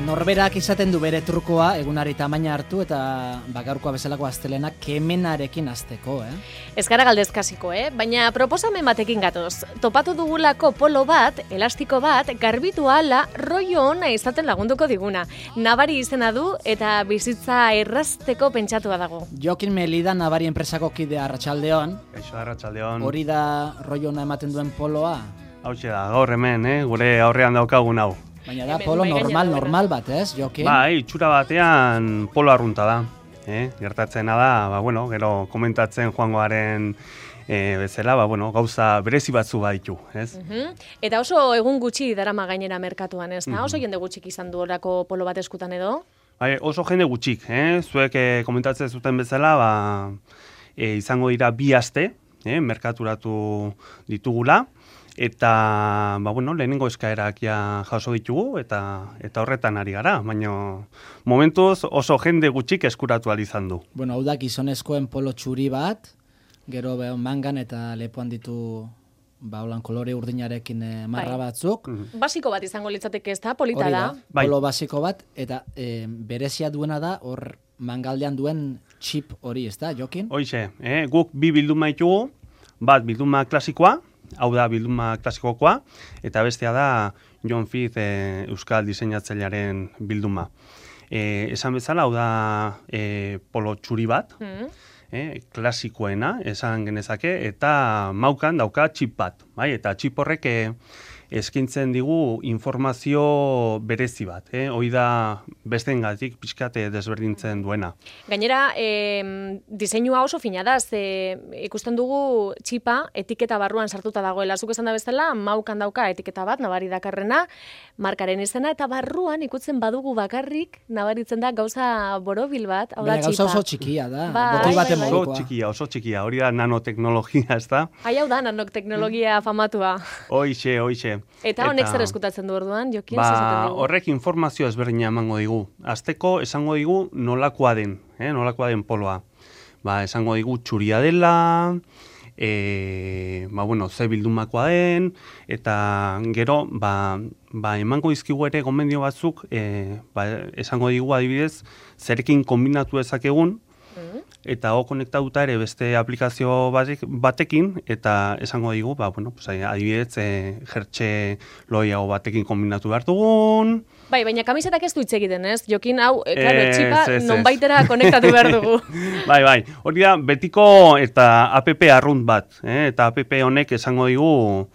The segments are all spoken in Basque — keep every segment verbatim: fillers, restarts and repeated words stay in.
Norberak izaten du bere trukoa, egunari tamaina hartu eta gaurkoa bezalako astelenak kemenarekin hasteko, eh? Ez gara galdezkasiko, eh? Baina proposamen batekin gatoz. Topatu dugulako polo bat, elastiko bat, garbitu ahala, rollo ona izaten lagunduko diguna. Nabari izena du eta bizitza errazteko pentsatua dago. Jokin Melida Nabari enpresako kide Arratsaldeon. Eixo Arratsaldeon. Hori da rollo ona ematen duen poloa? Hauxe da, gaur hemen, eh? Gure aurrean daukagun hau. Baina da polo normal, normal bat, ez, Jokin? Bai, itxura batean polo arrunta da. Eh? Gertatzena da, ba, bueno, gero komentatzen joangoaren e, bezala, ba, bueno, gauza berezi batzu baditu, ez? Uh-huh. Eta oso egun gutxi darama gainera merkatuan, ez da? Uh-huh. Oso jende gutxik izan du orako polo bat eskutan edo? Bai, oso jende gutxik, eh? Zuek e, komentatzen zuten bezala, ba, e, izango dira bi aste, eh? Merkaturatu ditugula. Eta, ba, bueno, lehenengo eskaerak ja jaso ditugu, eta eta horretan ari gara, baina momentuz oso jende gutxik eskuratu ahal izan du. Bueno, hau da gizonezkoen polo txuri bat, gero mangan eta lepoan ditu ba, holan kolore urdinarekin e, marra bai. batzuk. Mm-hmm. Basiko bat izango litzateke ez da, polita Hori da. da, Bai. polo basiko bat, eta e, berezia duena da, hor mangaldean duen txip hori, ez da, Jokin? Hoixe, eh? Guk bi bilduma ditugu, bat bilduma klasikoa, hau da bilduma klasikokoa, eta bestea da John Fiz e, euskal diseinatzailearen bilduma. E, esan bezala, hau da e, polo txuri bat, Mm. e, klasikoena, esan genezake, eta maukan dauka txip bat, bai? Eta txip horrek e, eskintzen digu informazio berezi bat, eh? Hoi da besteengatik pixkat desberdintzen duena. Gainera, e, diseinua oso fina da, ze ikusten dugu txipa etiketa barruan sartuta dagoela. Zuk esan da bezala, maukan dauka etiketa bat, nabari dakarrena, markaren izena, eta barruan ikutzen badugu bakarrik, nabaritzen da gauza borobil bat, hau da Baina txipa. gauza oso txikia da, Bai, botoi bai, baten bai. Oso modukoa. txikia, oso txikia, hori da nanoteknologia, ez da? Hai, hau da, nanoteknologia famatua. Hoixe, hoixe. Eta honek zer eskutatzen du orduan, Jokin? Ba, zer esaten digu? horrek informazio ezberdina emango digu. Azteko esango digu nolakoa den, eh? nolakoa den poloa. Ba, esango digu txuria dela, e, ba, bueno, ze bildumakoa den, eta gero, ba, ba, emango dizkigu ere gomendio batzuk, e, ba, esango digu adibidez, zerekin kombinatu ezakegun, eta ho konektatuta ere beste aplikazio batek, batekin, eta esango digu, ba, bueno, pues, adibidez, e, jertxe loiago batekin kombinatu behar dugun. Bai, baina kamisetak ez du hitz egiten, ez? Jokin hau, e, claro, Ez, txipa ez, ez. nonbaitera konektatu behar dugu. Bai, bai, hori da betiko eta app arrunt bat, eh? Eta app honek esango digu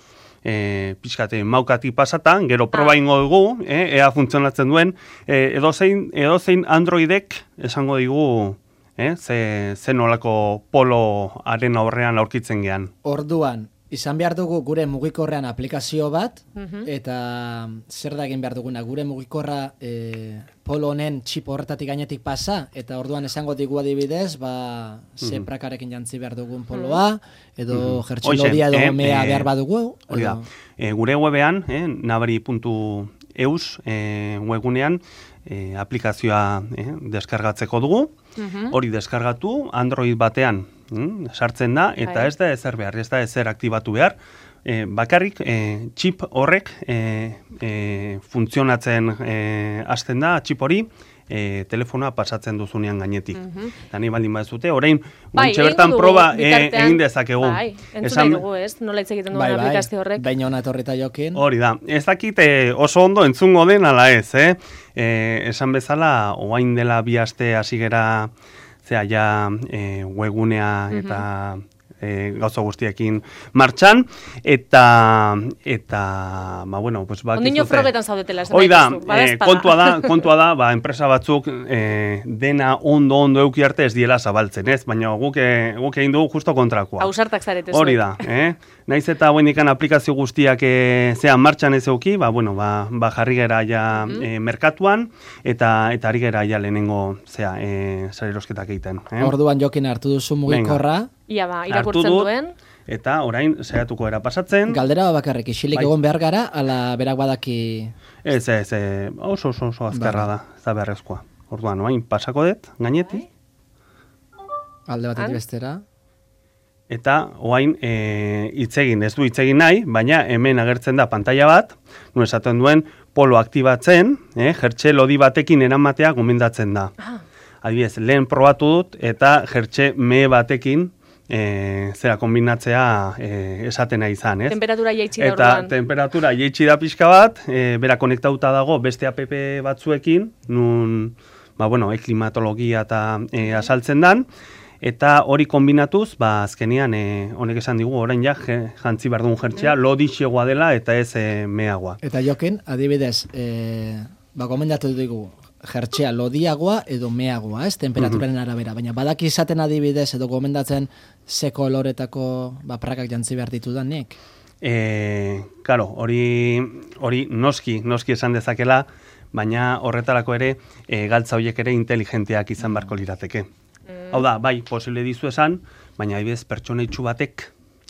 e, pixkate maukatik pasatan, gero proba Ah. ingo dugu, eh? Ea funtzionatzen duen, e, edozein, edozein Androidek esango digu, eh? ze, ze nolako poloaren aurrean aurkitzen gean. Orduan, izan behar dugu gure mugikorrean aplikazio bat, Mhm. eta zer da egin behar duguna, gure mugikorra e, polo honen txip horretatik gainetik pasa, eta orduan esango digu adibidez, ba, ze Mhm. prakarekin jantzi behar dugun poloa, edo Mhm. jertxelodia edo Hoxe, eh, mea eh, behar badugu. Hori da, edo- e, gure webean, eh, nabari puntu eus e, webgunean, e, aplikazioa eh, deskargatzeko dugu, Mhm. hori deskargatu, Android batean mm, sartzen da, eta Bai. ez da ezer behar, ez da ezer aktibatu behar, e, bakarrik e, txip horrek e, e, funtzionatzen e, hasten da, txip hori, e, telefonoa pasatzen duzunean gainetik. Mhm. Eta nahi baldin baduzute, orain, Bai, guantxe egingo bertan dugu, proba e, bitartean. egin dezakegu. Bai, entzun nahi dugu, ez? Nola hitz egiten duen Bai, bai, aplikazio horrek. baina hona etorrita Jokin. Hori da, ez dakit eh, oso ondo entzungo den ala ez, eh? Eh, esan bezala, oain dela bi aste hasi gera, zera, ja, eh, webgunea eta eh, gauza guztiekin martxan, eta, eta, ba, bueno, pues, ba, Ondino frogetan zaudetela, esan Hoi da, daituzu, eh, badaezpada. kontua da, kontua da, ba, enpresa batzuk eh, dena ondo ondo euki arte ez diela zabaltzen, ez? Baina guk, eh, guk egin dugu justo kontrakoa. Ausartak zarete Hori zuek. da, eh? Naiz eta buenikan aplikazio guztiak e, zean martxan ez euki, ba, bueno, ba, ba jarri gera ja e, merkatuan, eta eta ari gera ja lehenengo, zea, e, salerosketak egiten. Eh? Orduan Jokin hartu duzu mugikorra, Ia ba, Hartu irakurtzen dut, duen. Eta orain saiatuko era pasatzen. galdera bakarrik isilik Bai. egon behar gara, ala berak badaki... Ez, ez, e, oso, oso, oso azkarra da, ez da beharrezkoa. Orduan, orain pasako dut, gainetik. Alde batetik Han? bestera. eta oain e, itzegin, ez du itzegin nahi, baina hemen agertzen da pantalla bat, nu esaten duen polo aktibatzen, eh, jertxe lodi batekin eramatea gomendatzen da. Ah. Adibidez, lehen probatu dut eta jertxe mehe batekin e, zera kombinatzea e, esatena izan, ez? Temperatura jaitsi da Eta orduan. temperatura jaitsi da pixka bat, e, bera konektauta dago beste app batzuekin, nun, ba, bueno, e, klimatologia eta e, asaltzen dan, eta hori kombinatuz, ba, azkenean, e, honek esan digu, orain ja, jantzi behar duen jertxea, mm. lodixegoa dela eta ez e, meagoa. Eta jokin, adibidez, e, ba, gomendatu dugu, jertxea lodiagoa edo meagoa, ez, temperaturaren arabera, baina badaki izaten adibidez edo gomendatzen ze koloretako ba, prakak jantzi behar ditudanik? E, claro, hori, hori noski, noski esan dezakela, baina horretarako ere e, galtza horiek ere inteligenteak izan beharko lirateke. Mm. Hau da, bai, posible dizu esan, baina adibidez pertsoneitsu batek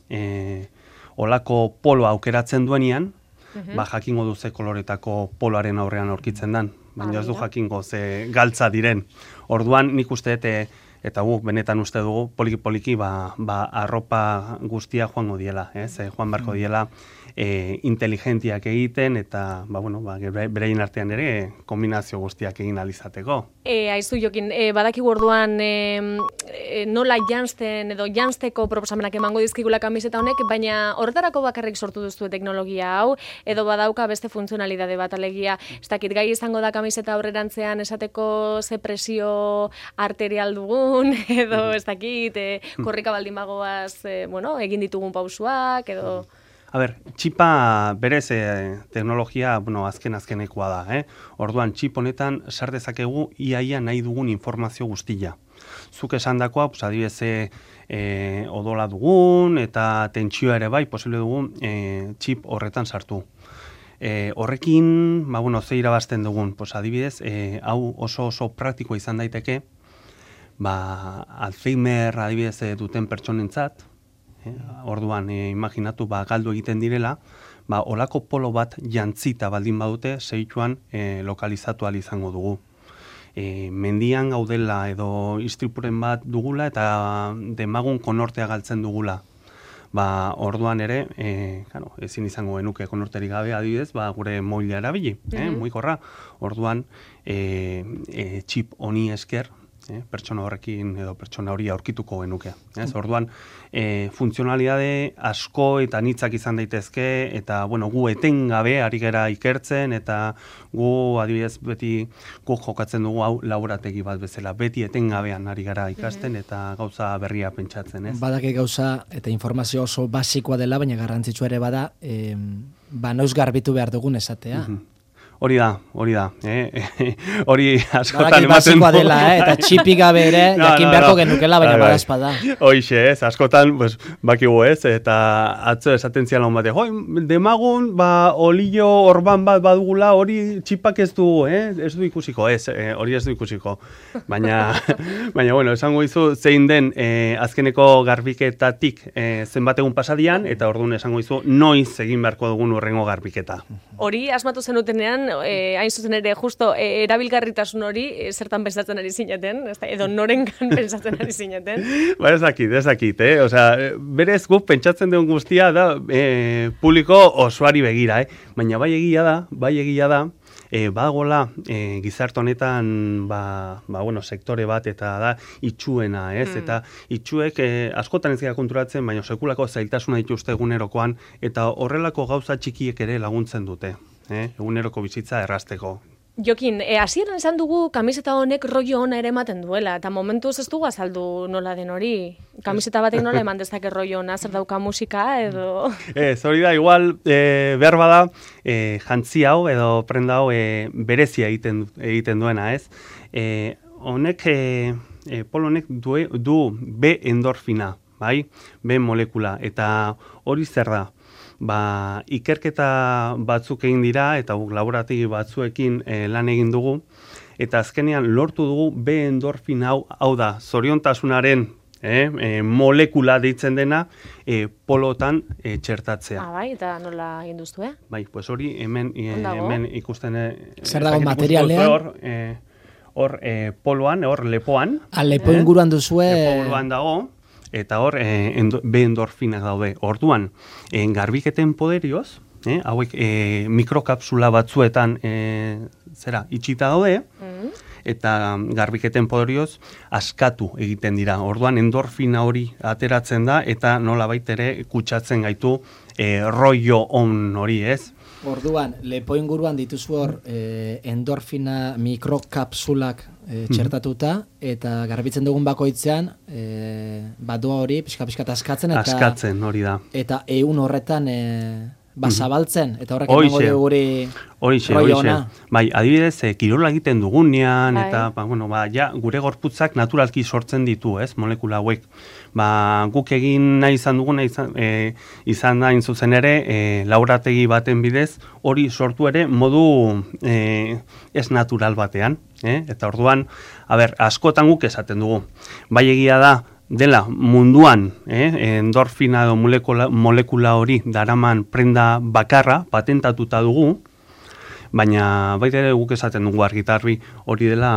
e, olako polo aukeratzen duenean, mm-hmm. ba, jakingo du ze koloretako poloaren aurrean aurkitzen dan. Baina ez du jakingo ze galtza diren. Orduan nik uste dut, eta guk benetan uste dugu, poliki-poliki ba, ba, arropa guztia joango diela, ez? Joan beharko diela e, inteligentiak egiten, eta ba, bueno, ba, bereien artean ere kombinazio guztiak egin alizateko. E, aizu jokin, e, badakigu orduan e, e, nola janzten edo janzteko proposamenak emango dizkigula kamiseta honek, baina horretarako bakarrik sortu duztu teknologia hau, edo badauka beste funtzionalidade bat alegia, ez dakit gai izango da kamiseta aurrerantzean esateko ze presio arterial dugun, edo ez dakit, e, korrika baldin bagoaz, e, bueno, egin ditugun pausuak, edo... A ber, txipa berez eh, teknologia, bueno, azken-azkenekoa da, eh? Orduan, txip honetan sar dezakegu iaia nahi dugun informazio guztia. Zuk esandakoa, pues, adibidez, eh, odola dugun eta tentsioa ere bai, posible dugun eh, txip horretan sartu. Eh, horrekin, ba, bueno, ze irabazten dugun, pues, adibidez, eh, hau oso oso praktikoa izan daiteke, ba, Alzheimer adibidez duten pertsonentzat, Eh, orduan, eh, imaginatu, ba, galdu egiten direla, ba, olako polo bat jantzita baldin badute, zeituan eh, lokalizatu ahal izango dugu. E, mendian gaudela edo istripuren bat dugula eta demagun konortea galtzen dugula. Ba, orduan ere, e, claro, ezin izango genuke konorterik gabe adibidez, ba, gure moila erabili, eh, mm-hmm. muikorra. Orduan, e, e, txip honi esker, Eh, pertsona horrekin edo pertsona hori aurkituko genuke. Ez? Orduan, e, funtzionalidade asko eta nitzak izan daitezke, eta bueno, gu etengabe ari gera ikertzen, eta gu adibidez beti gu jokatzen dugu hau laborategi bat bezala, beti etengabean ari gara ikasten mm-hmm. eta gauza berria pentsatzen. Ez? Badaki gauza eta informazio oso basikoa dela, baina garrantzitsua ere bada, e, ba noiz garbitu behar dugun esatea. Mm-hmm. Hori da, hori da. Eh? Hori askotan ematen du. Dela, eh? Eta txipi gabe ere, no, jakin no, beharko no. genukela, baina bada espada. Hoixe, ez, askotan, pues, bakigu ez, eta atzo esaten zian lagun bate, joi, demagun, ba, olio orban bat badugula, hori txipak ez du, eh? ez du ikusiko, ez, eh, hori ez du ikusiko. Baina, baina bueno, esango izu, zein den eh, azkeneko garbiketatik eh, zenbat egun pasadian, eta orduan esango izu, noiz egin beharko dugun urrengo garbiketa. Hori asmatu zenutenean, E, hain zuzen ere, justo, e, erabilgarritasun hori e, zertan pensatzen ari zineten, edo norengan pensatzen ari zineten? Ba, ez dakit, ez dakit, eh? Osea, berez guk pentsatzen duen guztia da e, publiko osoari begira, eh? Baina bai egia da, bai egia da, e, badagoela e, gizarte honetan, ba, ba, bueno, sektore bat eta da itxuena, ez? Mm. Eta itxuek e, askotan ez gara konturatzen, baina sekulako zailtasuna dituzte egunerokoan, eta horrelako gauza txikiek ere laguntzen dute. Eh, eguneroko bizitza errazteko. Jokin, e, hasieran esan dugu kamiseta honek rollo ona ere ematen duela, eta momentuz ez dugu azaldu nola den hori. Kamiseta batek nola eman dezake rollo ona, zer dauka musika edo... Ez, hori da, igual, e, behar bada, e, jantzi hau edo prenda hau e, berezia egiten, egiten duena, ez? E, honek, e, e, polo honek du, du B endorfina, bai? B molekula, eta hori zer da? Ba, ikerketa batzuk egin dira eta guk laborategi batzuekin e, lan egin dugu eta azkenean lortu dugu B endorfin hau, hau da, zoriontasunaren e, e, molekula deitzen dena e, polotan e, txertatzea. Ah, bai, eta nola egin duztu, eh? Bai, pues hori hemen, e, hemen ikusten... E, zer dago materialean? Hor, e, hor e, poloan, hor lepoan. A lepo inguruan duzue... Lepo inguruan dago. eta hor, e, endo, be endorfinak daude. Orduan, e, garbiketen poderioz, e, hauek e, mikrokapsula batzuetan e, zera, itxita daude, mm. eta garbiketen poderioz askatu egiten dira. Orduan, endorfina hori ateratzen da, eta nolabait ere kutsatzen gaitu e, rollo on hori, ez? Orduan, lepo inguruan dituzu hor eh, endorfina mikrokapsulak eh, txertatuta, eta garbitzen dugun bakoitzean eh, badua hori pixka-pixka askatzen, eta askatzen hori da. Eta ehun horretan eh, bazabaltzen, eta horrek emango dugu guri rollo ona. Bai, adibidez, e, kirola egiten dugunean, Ai. eta ba, bueno, ba, ja, gure gorputzak naturalki sortzen ditu, ez, molekula hauek. Ba, guk egin nahi izan duguna izan, e, izan da zuzen ere, e, laurategi baten bidez, hori sortu ere modu e, ez natural batean. Eh? Eta orduan, a ber, askotan guk esaten dugu. Bai egia da, dela munduan eh, endorfina edo molekula, molekula hori daraman prenda bakarra patentatuta dugu, baina baita ere guk esaten dugu argitarbi hori dela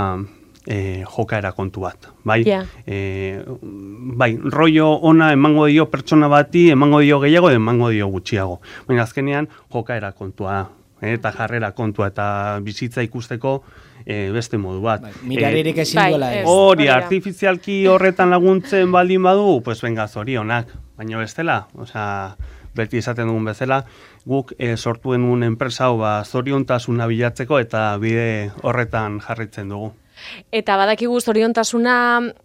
e, jokaera kontu bat. Bai, yeah. e, bai, rollo ona emango dio pertsona bati, emango dio gehiago, emango dio gutxiago. Baina azkenean jokaera kontua, eh, eta jarrera kontua, eta bizitza ikusteko E, beste modu bat. Bai, miraririk ezin duela ez. Hori, artifizialki horretan laguntzen baldin badu, pues venga, zorionak. Baina bestela, osea, beti esaten dugun bezala, guk e, sortu genuen enpresa hau ba, zoriontasuna bilatzeko eta bide horretan jarritzen dugu. Eta badakigu zoriontasuna,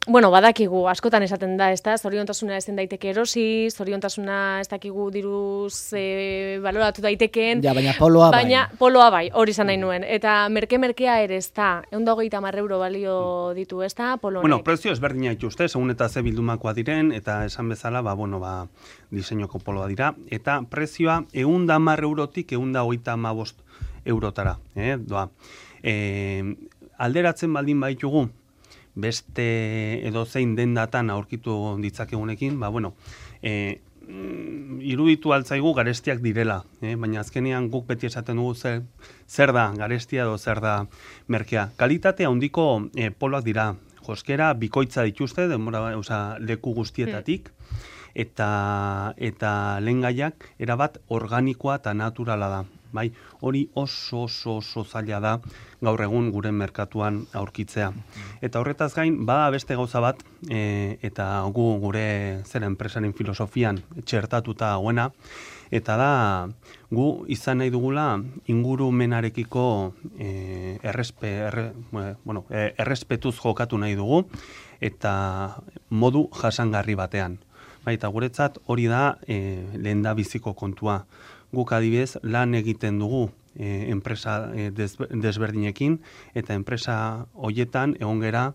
bueno, badakigu, askotan esaten da, ezta? Zoriontasuna ezin daiteke erosi, zoriontasuna ez dakigu diruz e, baloratu daitekeen. Ja, baina poloa bai. Baina poloa bai, hori izan nahi nuen. Eta merke-merkea ere ezta, ehun eta hogeita hamar euro balio ditu, ezta, polo honek. Bueno, prezio ezberdina dituzte, segun eta ze bildumakoa diren, eta esan bezala, ba, bueno, ba, diseinoko poloa dira, eta prezioa ehun eta hamar eurotik ehun eta hogeita hamabost eurotara, eh, doa. Eh, alderatzen baldin baitugu, beste edozein dendatan aurkitu ditzakegunekin, ba, bueno, e, iruditu altzaigu garestiak direla, eh? Baina azkenean guk beti esaten dugu zer, zer da garestia edo zer da merkea. Kalitate handiko e, poloak dira, joskera bikoitza dituzte, denbora, osea, leku guztietatik, eta, eta lehengaiak erabat organikoa eta naturala da. Bai, hori oso oso oso zaila da gaur egun gure merkatuan aurkitzea. Eta horretaz gain, bada beste gauza bat, e, eta gu gure zer enpresaren filosofian txertatuta dagoena, eta da gu izan nahi dugula ingurumenarekiko e, errespe, erre, bueno, e, errespetuz jokatu nahi dugu, eta modu jasangarri batean. Bai, eta guretzat hori da e, lehenda biziko kontua. Guk adibidez lan egiten dugu e, enpresa e, desberdinekin, eta enpresa hoietan egon gera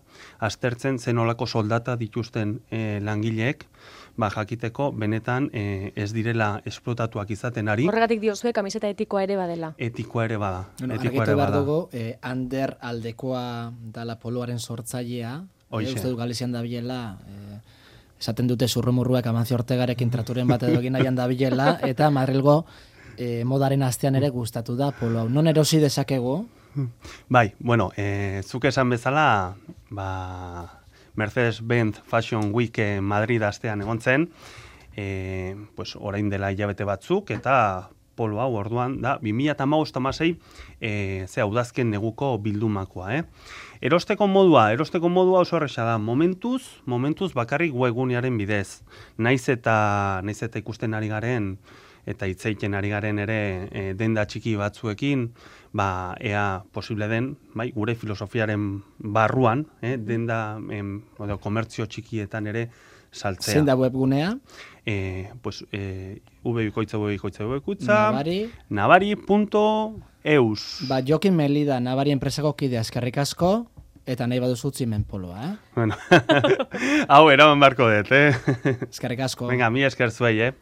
aztertzen zenolako soldata dituzten e, langileek, ba, jakiteko benetan e, ez direla esplotatuak izaten ari. Horregatik diozue kamiseta etikoa ere badela. Etikoa ere bada. Bueno, etikoa ere bada. Dugu, e, Ander aldekoa dala poloaren sortzailea, e, uste du Galizian dabilela, e, esaten dute zurrumurruak Amancio Ortegarekin traturen bat edo egin nahian dabilela, eta Madrilgo e, modaren astean ere gustatu da polo hau. Non erosi dezakegu? Bai, bueno, e, zuk esan bezala, ba, Mercedes-Benz Fashion Week Madrid astean egon zen, e, pues, orain dela hilabete batzuk, eta polo hau orduan da, bi mila hamabost hamasei e, ze udazken neguko bildumakoa, eh? Erosteko modua, erosteko modua oso horreza da, momentuz, momentuz bakarrik webgunearen bidez. Naiz eta, naiz eta ikusten ari garen, eta hitzeiten ari garen ere e, denda txiki batzuekin, ba, ea posible den, bai, gure filosofiaren barruan, eh, denda, em, edo, komertzio txikietan ere saltzea. Zein da webgunea? E, pues, e, ubebikoitza, ubebikoitza, ubebikoitza, Nabari. Nabari punto eus. Ba, Jokin Melida, Nabari enpresako kidea, eskerrik asko, eta nahi baduzu utzi hemen poloa, eh? Bueno, hau eraman barko dut, eh? Eskerrik asko. Venga, mi esker zuei, eh?